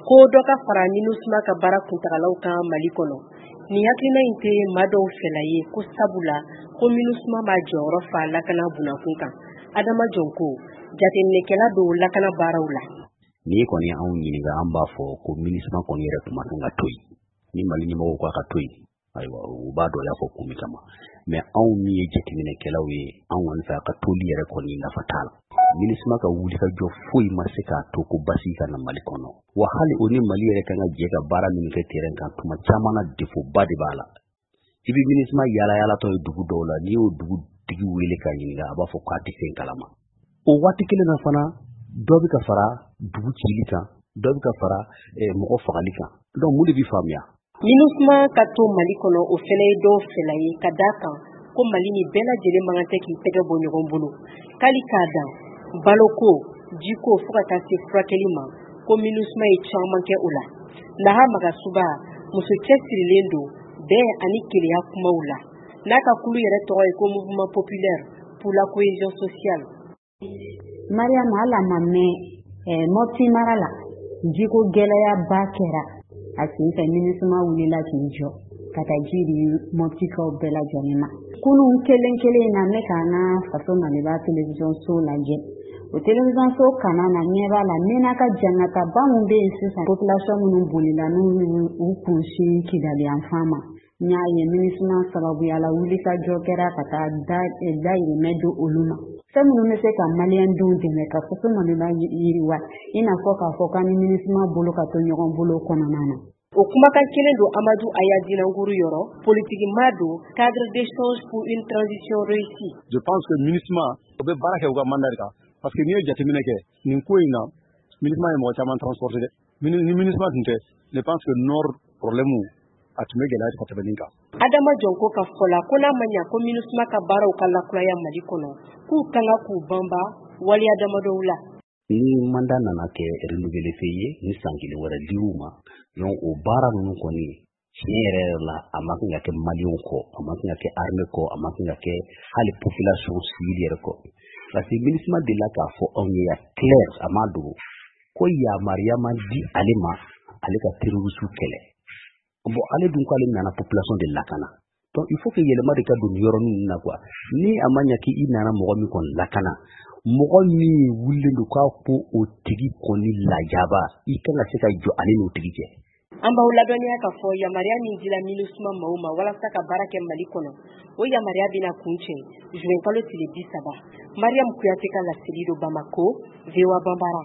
Ko dɔ ka fara MINUSMA ka baara kuntagalaw kan Mali kɔnɔ. Nin hakilina in tɛ maa dɔw fɛla ye, ko sabula ko MINUSMA b'a jɔyɔrɔ fa lakana bunakun kan. Adama Jɔnko, jateminɛkɛla don lakana baaraw la. N'i kɔni anw ɲininka, an b'a fɔ ko MINUSMA kɔni yɛrɛ tun ma kan ka to yen. Ni Mali ɲɛmɔgɔw k'a ka to yen, ayiwa, u b'a dɔn y'a fɔ kun min kama. Mais anw min ye jateminɛkɛlaw ye, anw kɔni fɛ, a ka toli yɛrɛ kɔni nafa t'a la. MINUSMA ka wulikajɔ foyi ma se k'a to ko basigi ka na Mali kɔnɔ. Wa hali o ni Mali yɛrɛ kan ka jɛ ka baara min kɛ terrain kan, tuma caman na défaut ba de b'a la. I bɛ MINUSMA yaala yaalatɔ ye dugu dɔw la, n'i y'o dugu tigi wele k'a ɲininka, a b'a fɔ k'a tɛ fɛn kalama. O waati kelen na fana, dɔ bɛ ka fara dugu cili kan, dɔ bɛ ka fara mɔgɔ fagali kan. Donc mun de bɛ faamuya? MINUSMA ka to Mali kɔnɔ, o fana ye dɔw fɛla ye, ka d'a kan ko Mali ni bɛɛ lajɛlen man kan tɛ k'i tɛgɛ bɔ ɲɔgɔn bolo. K'ali k'a dan baloko, jiko, fo ka taa se furakɛli ma, ko MINUSMA ye caman kɛ o la. Naha Magasuba, muso cɛsirilen don bɛn ani kelenya kumaw la, n'a ka kulu yɛrɛ tɔgɔ ye ko Mouvement populaire pour la cohésion sociale. Mariam, hali a ma mɛn, Mɔpti mara la, jiko gɛlɛyaba kɛra a sen fɛ. MINUSMA wulila k'i jɔ ka taa ji di Mɔptikaw bɛɛ lajɛlen ma. Kunun kelen kelen in na, ne k'an ka Faso Maliba télévision so lajɛ. O télévision so kana na, ɲɛ b'a la Menaka jangata min bɛ yen sisan, population minnu bolila n'u u kunsin Kidali yanfan ma, n y'a ye MINUSMA sababuya la, wulikajɔ kɛra ka taa dayirimɛ di olu ma. Fɛn minnu bɛ se ka maliyɛndenw dɛmɛ ka Faso Maliba yiriwa, i n'a fɔ k'a fɔ k'an ni MINUSMA bolo ka to ɲɔgɔn bolo kɔnɔna na. O kumakan kelen don Amadu Aya Dinankuru yɔrɔ, politiki maa don, cadre d'échange pour une transition réussie. Je pense que MINUSMA o bɛ baara kɛ u ka mandat de kan, parce que n'i ye jateminɛ kɛ nin ko in na, MINUSMA ye mɔgɔ caman transporter dɛ. Ni MINUSMA tun tɛ, je pense que nord problème a tun bɛ gɛlɛya ka tɛmɛ nin kan. Adama Jɔnko ka fɔ la, ko n'a ma ɲa ko MINUSMA ka baaraw ka lakuraya Mali kɔnɔ, k'u kan ka k'u banba waleya damadɔw la. Ni mandat nana kɛ renouvelé fɛ ye, ni san kelen wɛrɛ dir'u ma, donc o baara ninnu kɔni, tiɲɛ yɛrɛ yɛrɛ la, a ma kan ka kɛ maliyɛnw kɔ, a ma kan ka kɛ armée kɔ, a ma kan ka kɛ hali population civile yɛrɛ kɔ, parce que MINUSMA delila k'a fɔ anw ye ya clair, a ma dogo, ko yamaruya ma di ale ma ale ka terroriste kɛlɛ. Bon, ale dun k'ale nana population de lakana. Donc il faut que yɛlɛma de ka don nin yɔrɔnin ninnu na quoi. Ni a ma ɲɛ k'i nana mɔgɔ min kɔni lakana, mɔgɔ min wulilen don k'a ko o tigi kɔni lajaba, i kan ka se ka jɔ ale n'o tigi cɛ. An b'aw ladɔnniya k'a fɔ yamaruya min dila MINUSMA maaw ma walasa ka baara kɛ Mali kɔnɔ, o yamaruya bɛna kuncɛ juin kalo tile 30. Mariam Kuyate ka laseli don Bamako, VOA Banbara.